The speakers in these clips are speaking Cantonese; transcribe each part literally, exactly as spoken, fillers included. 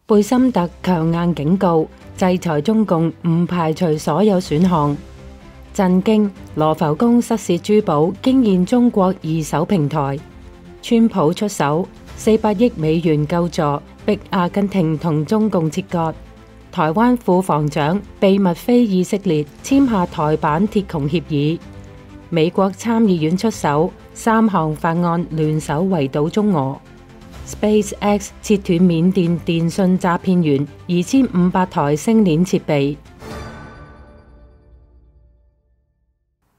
貝森特強硬警告，制裁中共唔排除所有選項。震驚，羅浮宮失竊珠寶驚現中國二手平台。川普出手四百億美元救助，逼阿根廷同中共切割。台灣副防長秘密飛以色列簽下台版鐵穹協議。美國參議院出手，三項法案聯手圍堵中俄。SpaceX 切斷緬甸電信詐騙員二千五百台星鏈設備。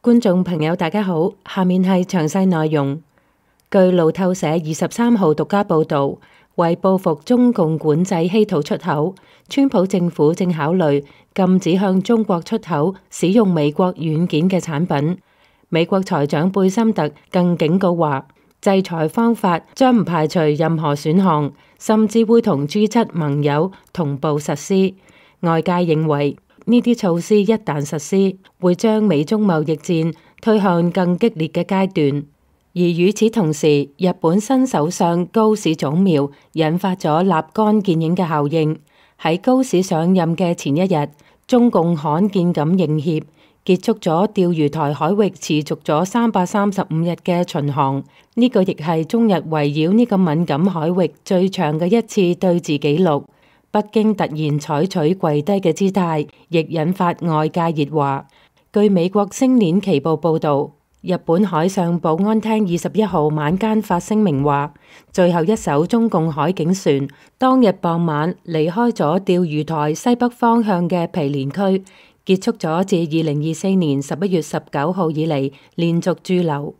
觀眾朋友大家好，下面係詳細內容。據路透社二十三號獨家報道，為報復中共管制稀土出口，川普政府正考慮禁止向中國出口使用美國軟件嘅產品。美國財長貝森特更警告話，制裁方法將唔排除任何選項，甚至會同 G 七盟友同步實施。外界認為呢啲措施一旦實施，會將美中貿易戰推向更激烈嘅階段。而與此同時，日本新首相高市早苗引發咗立竿見影嘅效應。喺高市上任嘅前一日，中共罕見咁認協，結束咗釣魚台海域持續咗三百三十五日嘅巡航，呢、這個亦係中日圍繞呢個敏感海域最長嘅一次對峙紀錄。北京突然採取跪低嘅姿態，亦引發外界熱話。據美國星鏈旗報報道，日本海上保安廳二十一號晚間發聲明話，最後一艘中共海警船當日傍晚離開咗釣魚台西北方向嘅毗連區，結束咗自二零二四年十一月十九號以嚟連續駐留。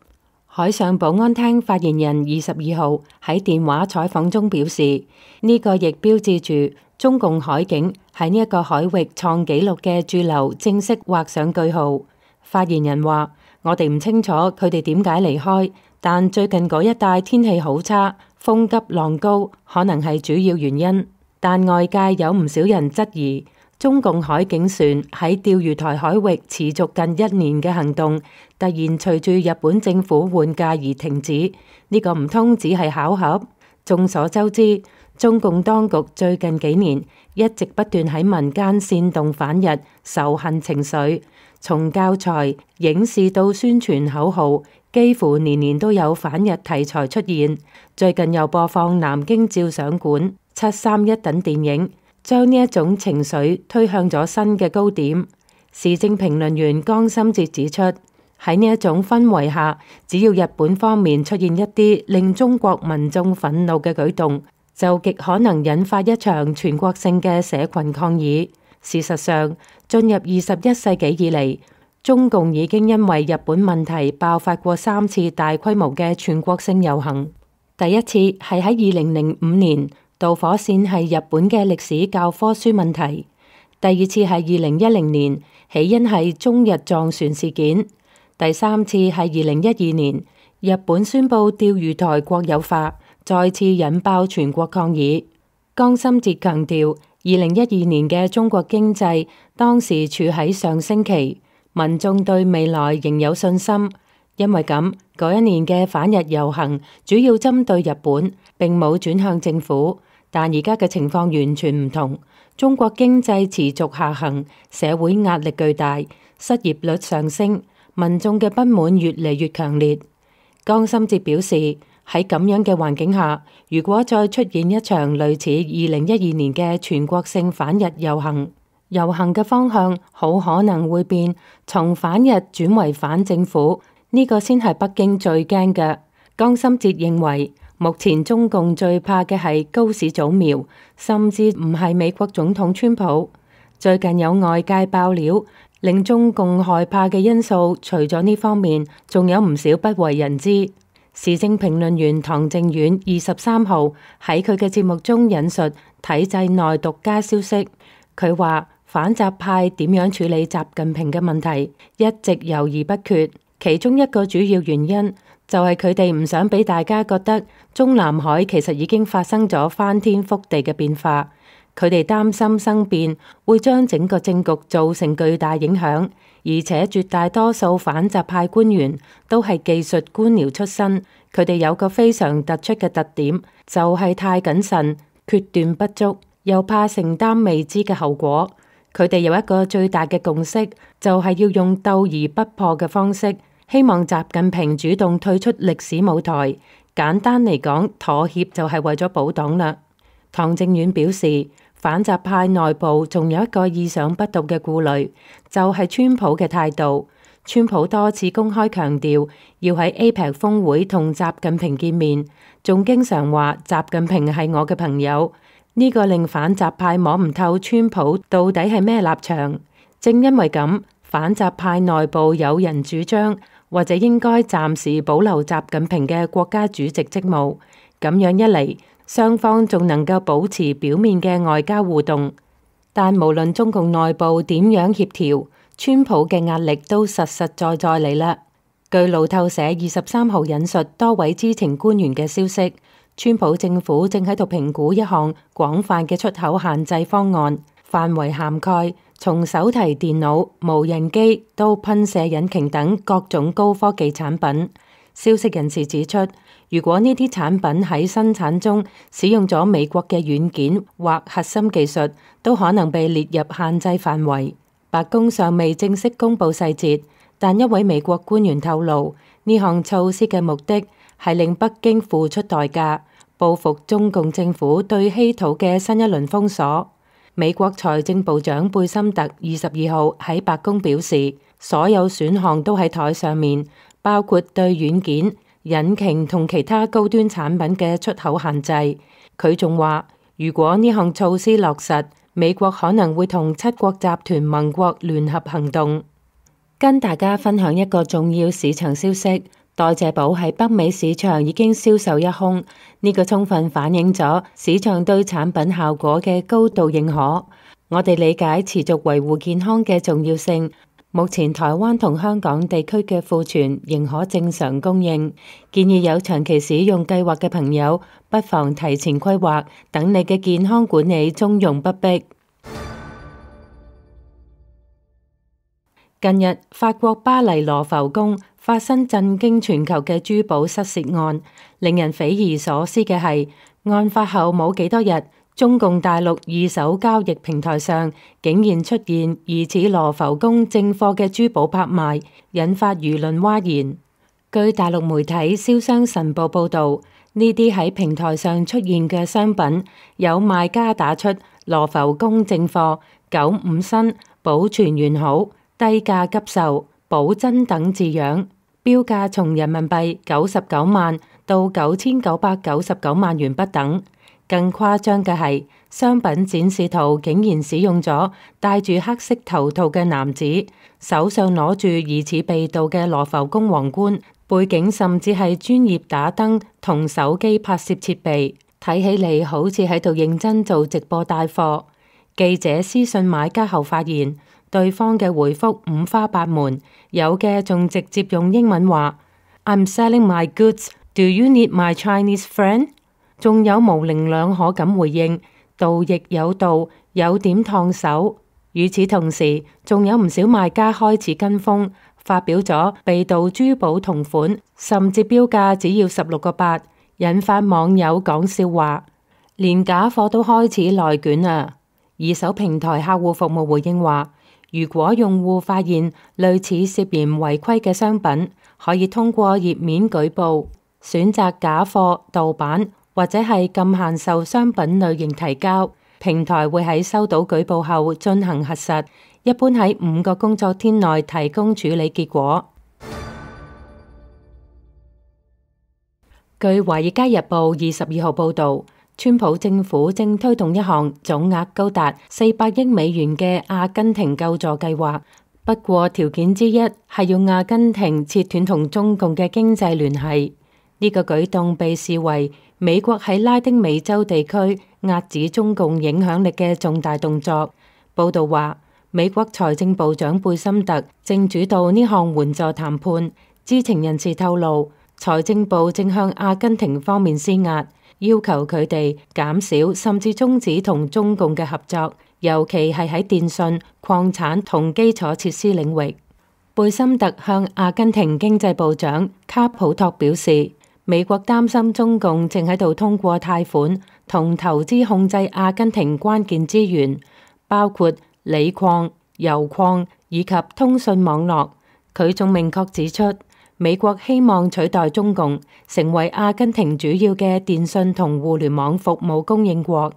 海上保安廳發言人二十二號喺電話採訪中表示，呢、這個亦標誌住中共海警喺呢一個海域創紀錄嘅駐留正式畫上句號。發言人話，我哋唔清楚佢哋點解離開，但最近嗰一帶天氣好差，風急浪高，可能係主要原因。但外界有唔少人質疑，中共海警船喺釣魚台海域持續近一年嘅行動，突然隨住日本政府換屆而停止，呢、這個唔通只係巧合？眾所周知，中共當局最近幾年一直不斷喺民間煽動反日仇恨情緒，從教材、影視到宣傳口號，幾乎年年都有反日題材出現。最近又播放南京照相館、七三一等電影，將呢一種情緒推向咗新嘅高點。時政評論員江心哲指出，喺呢一種氛圍下，只要日本方面出現一啲令中國民眾憤怒嘅舉動，就極可能引發一場全國性嘅社群抗議。事實上，進入二十一世紀以嚟，中共已經因為日本問題爆發過三次大規模嘅全國性遊行。第一次係喺二零零五年，導火線係日本嘅歷史教科書問題；第二次係二零一零年，起因係中日撞船事件；第三次係二零一二年，日本宣布釣魚台國有化，再次引爆全國抗議。江心哲強調，二零一二年嘅中國經濟當時處喺上升期，民眾對未來仍有信心。因為咁，嗰一年嘅反日遊行主要針對日本，並冇轉向政府。但而家嘅情況完全唔同，中國經濟持續下行，社會壓力巨大，失業率上升，民眾嘅不滿越嚟越強烈。江心哲表示，喺咁樣嘅環境下，如果再出現一場類似二零一二年嘅全國性反日遊行，遊行嘅方向好可能會變，從反日轉為反政府，呢、這個先係北京最驚嘅。江心哲認為，目前中共最怕嘅係高市早苗，甚至唔係美國總統川普。最近有外界爆料，令中共害怕嘅因素，除咗呢方面，仲有唔少不為人知。時政評論員唐靖遠二十三號喺佢嘅節目中引述體制內獨家消息，佢話反習派點樣處理習近平嘅問題，一直猶豫不決。其中一個主要原因就係佢哋唔想俾大家覺得中南海其實已經發生咗翻天覆地嘅變化，佢哋擔心生變會將整個政局造成巨大影響，而且絕大多數反習派官員都係技術官僚出身，佢哋有個非常突出嘅特點，就係太謹慎、決斷不足。又怕承擔未知嘅後果。佢哋有一個最大嘅共識，就係要用鬥而不破嘅方式，希望習近平主動退出歷史舞台。簡單嚟講，妥協就係為咗保黨啦。唐正遠表示，反習派內部仲有一個意想不到嘅顧慮，就係川普嘅態度。川普多次公開強調要喺 A P E C 峰會同習近平見面，仲經常話習近平係我嘅朋友。呢個令反習派摸唔透川普到底係咩立場。正因為咁，反習派內部有人主張，或者應該暫時保留習近平嘅國家主席職務。咁樣一嚟，雙方仲能夠保持表面嘅外交互動。但無論中共內部點樣協調，川普嘅壓力都實實在在嚟啦。據路透社二十三號引述多位知情官員嘅消息，川普政府正喺度評估一項廣泛嘅出口限制方案，範圍涵蓋從手提電腦、無人機到噴射引擎等各種高科技產品。消息人士指出，如果呢啲產品喺生產中使用咗美國嘅軟件或核心技術，都可能被列入限制範圍。白宮尚未正式公布細節，但一位美國官員透露，呢項措施嘅目的係令北京付出代價，報復中共政府對稀土嘅新一輪封鎖。美國財政部長貝森特二十二號喺白宮表示，所有選項都喺台上面，包括對軟件、引擎同其他高端產品嘅出口限制。佢仲話，如果呢項措施落實，美國可能會同七國集團盟國聯合行動。跟大家分享一個重要市場消息，代謝寶喺北美市場已經銷售一空，呢個充分反映咗市場對產品效果嘅高度認可。我哋理解持續維護健康嘅重要性。目前台灣同香港地區嘅庫存仍可正常供應，建議有長期使用計劃嘅朋友不妨提前規劃，等你嘅健康管理從容不迫。近日，法國巴黎羅浮宮發生震驚全球嘅珠寶失竊案，令人匪夷所思嘅係，案發後冇幾多日，中共大陸二手交易平台上竟然出現疑似羅浮宮正貨嘅珠寶拍賣，引發輿論譁然。據大陸媒體《瀟湘晨報》報導，呢啲喺平台上出現嘅商品，有賣家打出羅浮宮正貨、九五新、保存完好、低價急售、保真等字樣，標價從人民幣九十九萬到九千九百九十九萬元不等。更誇張嘅係，商品展示圖竟然使用咗戴住黑色頭套嘅男子，手上攞住疑似被盜嘅羅浮宮皇冠，背景甚至係專業打燈同手機拍攝設備，睇起嚟好似喺度認真做直播帶貨。記者私信買家後發現，對方嘅回覆五花八門，有嘅仲直接用英文話 I'm selling my goods, do you need my Chinese friend？仲有模棱兩可咁回應，盜亦有道，有點燙手。與此同時，仲有唔少賣家開始跟風，發表咗被盜珠寶同款，甚至標價只要十六個八，引發網友講笑話，連假貨都開始內卷啊！二手平台客戶服務回應話，如果用戶發現類似涉嫌違規嘅商品，可以通過頁面舉報，選擇假貨、盜版，或者係禁限售商品類型提交，平台會喺收到舉報後進行核實，一般喺五個工作天內提供處理結果。據《華爾街日報》二十二號報導，川普政府正推動一項總額高達四百億美元嘅阿根廷救助計劃，不過條件之一係要阿根廷切斷同中共嘅經濟聯繫。呢個舉動被視為美國喺拉丁美洲地區壓止中共影響力嘅重大動作。報導話，美國財政部長貝森特正主導呢項援助談判。知情人士透露，財政部正向阿根廷方面施壓，要求佢哋減少甚至終止同中共嘅合作，尤其係喺電信、礦產同基礎設施領域。貝森特向阿根廷經濟部長卡普托表示，美國擔心中共正喺度通過貸款同投資控制阿根廷關鍵資源，包括鋰礦、油礦以及通訊網絡。佢仲明確指出，美國希望取代中共成為阿根廷主要嘅電信同互聯網服務供應國。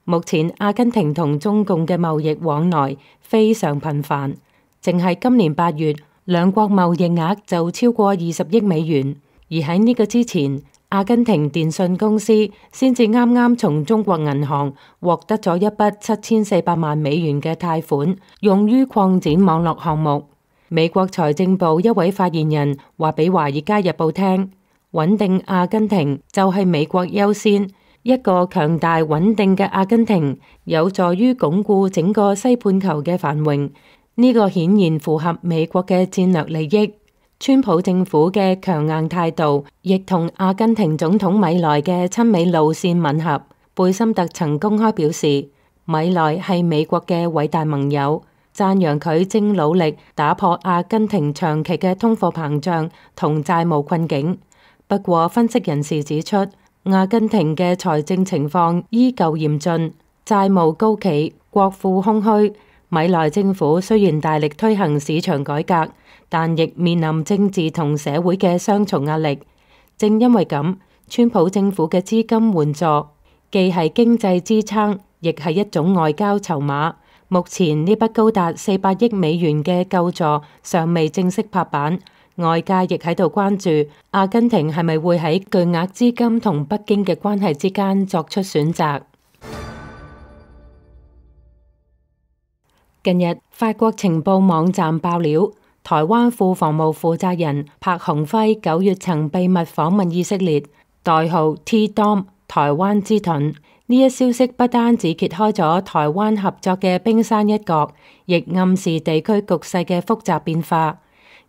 目前阿根廷同中共嘅貿易往來非常頻繁，淨係今年八月，兩國貿易額就超過二十億美元。而喺呢個之前，阿根廷電信公司先至啱啱從中國銀行獲得咗一筆七千四百萬美元嘅貸款，用於擴展網絡項目。美國財政部一位發言人話俾《華爾街日報》聽，穩定阿根廷就係美國優先，一個強大穩定嘅阿根廷有助於鞏固整個西半球嘅繁榮，呢個顯然符合美國嘅戰略利益。川普政府嘅強硬態度，亦同阿根廷總統米萊嘅親美路線吻合。貝森特曾公開表示，米萊係美國嘅偉大盟友，讚揚佢正努力打破阿根廷長期嘅通貨膨脹同債務困境。不過，分析人士指出，阿根廷嘅財政情況依舊嚴峻，債務高企，國庫空虛。米萊政府雖然大力推行市場改革，但亦面臨政治同社會嘅雙重壓力。正因為咁，川普政府嘅資金援助既係經濟支撐，亦係一種外交籌碼。目前呢筆高達四百億美元嘅救助尚未正式拍板，外界亦喺度關注阿根廷係咪會喺巨額資金同北京嘅關係之間作出選擇。近日，法國情報網站爆料，台灣副防務負責人柏鴻輝九月曾秘密訪問以色列，代號 T-Dome 台灣之盾。呢一消息不單止揭開咗台灣合作嘅冰山一角，亦暗示地區局勢嘅複雜變化。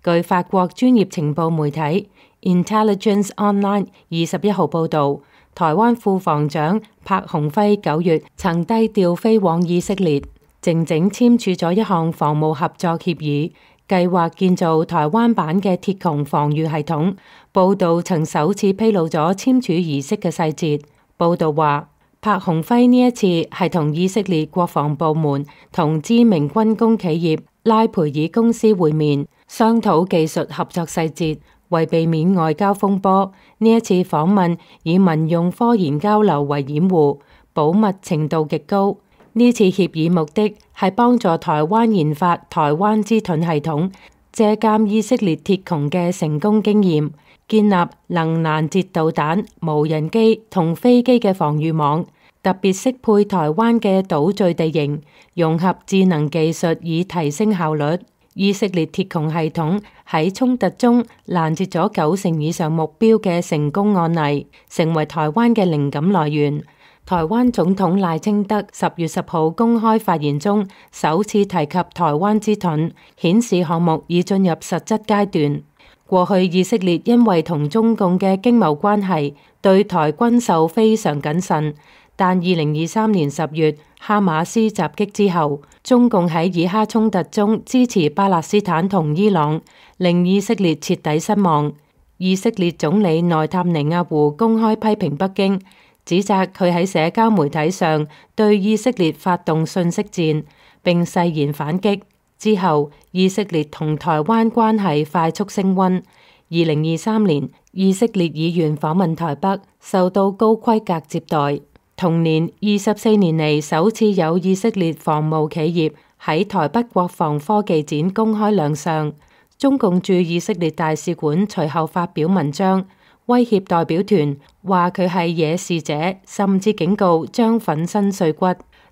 據法國專業情報媒體 Intelligence Online 二十一號報導，台灣副防長柏鴻輝九月曾低調飛往以色列，靜靜簽署咗一項防務合作協議，計劃建造台灣版嘅鐵穹防禦系統。報導曾首次披露咗簽署儀式嘅細節。報導話，柏鴻輝呢一次係同以色列國防部門同知名軍工企業拉培爾公司會面，商討技術合作細節。為避免外交風波，呢一次訪問以民用科研交流為掩護，保密程度極高。呢次協議目的係幫助台灣研發台灣之盾系統，借鑑以色列鐵穹嘅成功經驗，建立能攔截導彈、無人機同飛機嘅防禦網，特別適配台灣嘅島嶼地形，融合智能技術以提升效率。以色列鐵穹系統喺衝突中攔截咗九成以上目標嘅成功案例，成為台灣嘅靈感來源。台灣總統賴清德十月十號公開發言中首次提及台灣之盾，顯示項目已進入實質階段。過去以色列因為同中共嘅經貿關係，對台軍售非常謹慎。但二零二三年十月哈馬斯襲擊之後，中共喺以哈衝突中支持巴勒斯坦同伊朗，令以色列徹底失望。以色列總理內塔尼亞胡公開批評北京，指責佢喺社交媒體上對以色列發動信息戰，並誓言反擊。之後，以色列同台灣關係快速升溫。二零二三年，以色列議員訪問台北，受到高規格接待。同年，二十四年嚟首次有以色列防務企業喺台北國防科技展公開亮相。中共駐以色列大使館隨後發表文章，威脅代表團，話佢係惹事者，甚至警告將粉身碎骨。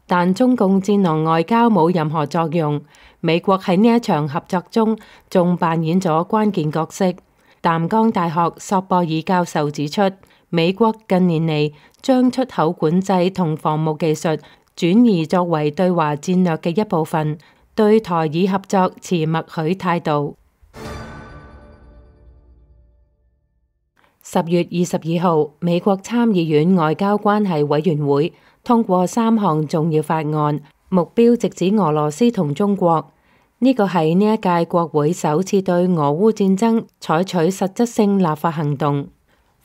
但中共戰狼外交冇任何作用。美國喺呢一場合作中仲扮演咗關鍵角色。淡江大學索博爾教授指出，美國近年嚟將出口管制同防務技術轉移作為對華戰略嘅一部分，對台以合作持默許態度。十月二十二號，美國參議院外交關係委員會通過三項重要法案，目標直指俄羅斯同中國。呢個係呢一屆國會首次對俄烏戰爭採取實質性立法行動。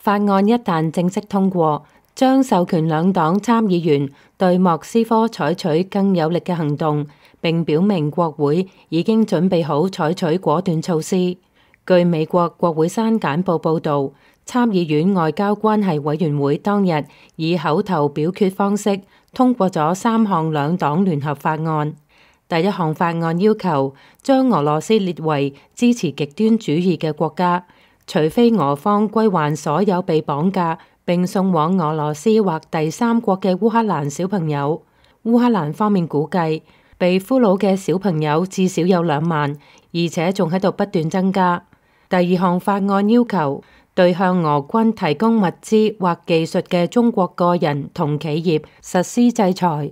法案一旦正式通過，將授權兩黨參議員對莫斯科採取更有力嘅行動，並表明國會已經準備好採取果斷措施。據美國國會山簡報報導，參議院外交關係委員會當日以口頭表決方式通過咗三項兩黨聯合法案。第一項法案要求將俄羅斯列為支持極端主義嘅國家，除非俄方歸還所有被綁架並送往俄羅斯或第三國嘅烏克蘭小朋友。烏克蘭方面估計被俘虜嘅小朋友至少有兩萬，而且仲喺度不斷增加。第二項法案要求對向俄軍提供物資或技術嘅中國個人同企業實施制裁。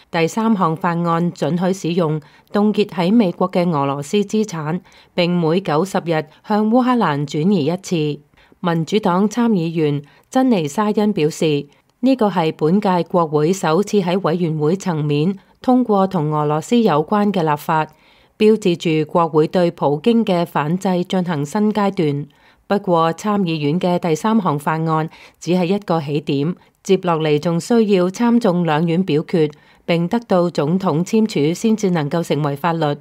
第三項法案准許使用凍結喺美國嘅俄羅斯資產，並每九十日向烏克蘭轉移一次。民主黨參議員珍妮沙恩表示，呢個係本屆國會首次喺委員會層面通過同俄羅斯有關嘅立法，標誌住國會對普京嘅反制進行新階段。不過參議院嘅第三項法案只係一個起點，接落嚟仲需要參眾兩院表決，並得到總統簽署先至能夠成為法律。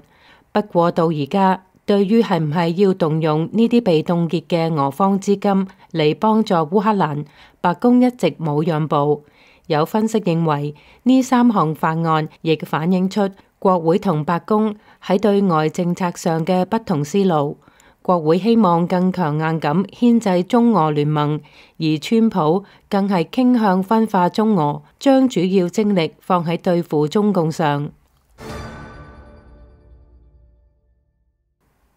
不過到而家，對於係唔係要動用呢啲被凍結嘅俄方資金嚟幫助烏克蘭，白宮一直冇讓步。有分析認為，呢三項法案亦反映出國會同白宮喺對外政策上嘅不同思路。國會希望更強硬咁牽制中俄聯盟，而川普更係傾向分化中俄，將主要精力放喺對付中共上。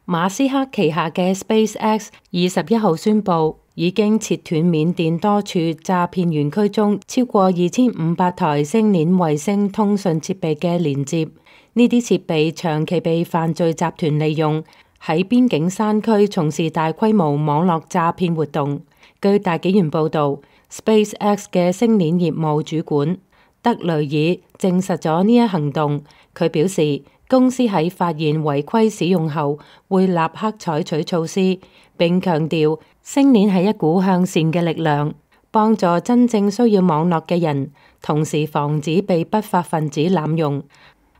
馬斯克旗下嘅 SpaceX 二十一號宣布，已經切斷緬甸多處詐騙園區中超過二千五百台星鏈衛星通訊設備嘅連接。呢啲設備長期被犯罪集團利用，喺邊境山區從事大規模網絡詐騙活動。據大紀元報導，SpaceX 嘅星鏈業務主管德雷爾證實咗呢一行動。佢表示，公司喺發現違規使用後會立刻採取措施，並強調星鏈係一股向善嘅力量，幫助真正需要網絡嘅人，同時防止被不法分子濫用。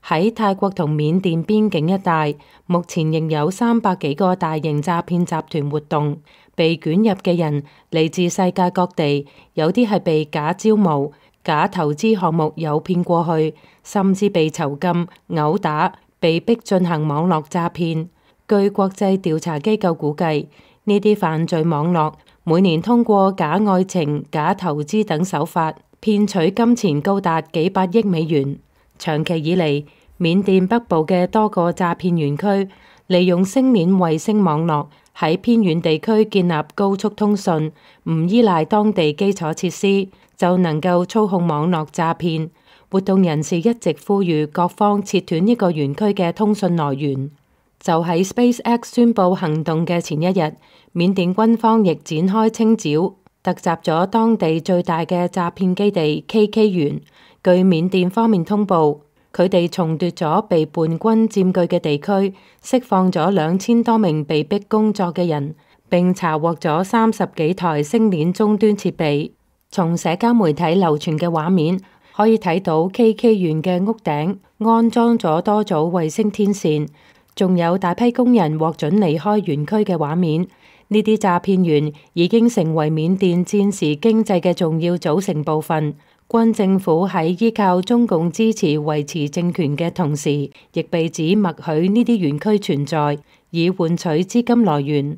喺泰國同緬甸邊境一帶，目前仍有三百幾個大型詐騙集團活動，被捲入嘅人嚟自世界各地，有啲係被假招募、假投資項目誘騙過去，甚至被囚禁、毆打，被逼進行網絡詐騙。據國際調查機構估計，呢啲犯罪網絡每年通過假愛情、假投資等手法，騙取金錢高達幾百億美元。長期以嚟，緬甸北部嘅多個詐騙園區利用星鏈衛星網絡喺偏遠地區建立高速通訊，唔依賴當地基礎設施就能夠操控網絡詐騙。活動人士一直呼籲各方切斷呢個園區嘅通訊來源。就喺 SpaceX 宣布行動嘅前一日，緬甸軍方亦展開清剿，突襲咗當地最大嘅詐騙基地 K K 園。據緬甸方面通報，佢哋重奪咗被叛軍佔據嘅地區，釋放咗兩千多名被逼工作嘅人，並查獲咗三十幾台星鏈終端設備。從社交媒體流傳嘅畫面可以睇到 K K 園嘅屋頂安裝咗多組衛星天線，仲有大批工人獲准離開園區嘅畫面。呢啲詐騙員已經成為緬甸戰時經濟嘅重要組成部分。軍政府喺依靠中共支持維持政權嘅同時，亦被指默許呢啲園區存在，以換取資金來源。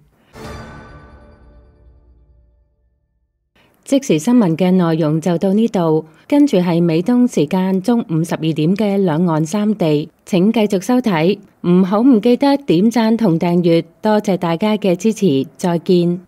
即時新聞嘅內容就到呢度，跟住係美東時間中午十二點嘅兩岸三地，請繼續收睇，唔好唔記得點讚同訂閱，多謝大家嘅支持，再見。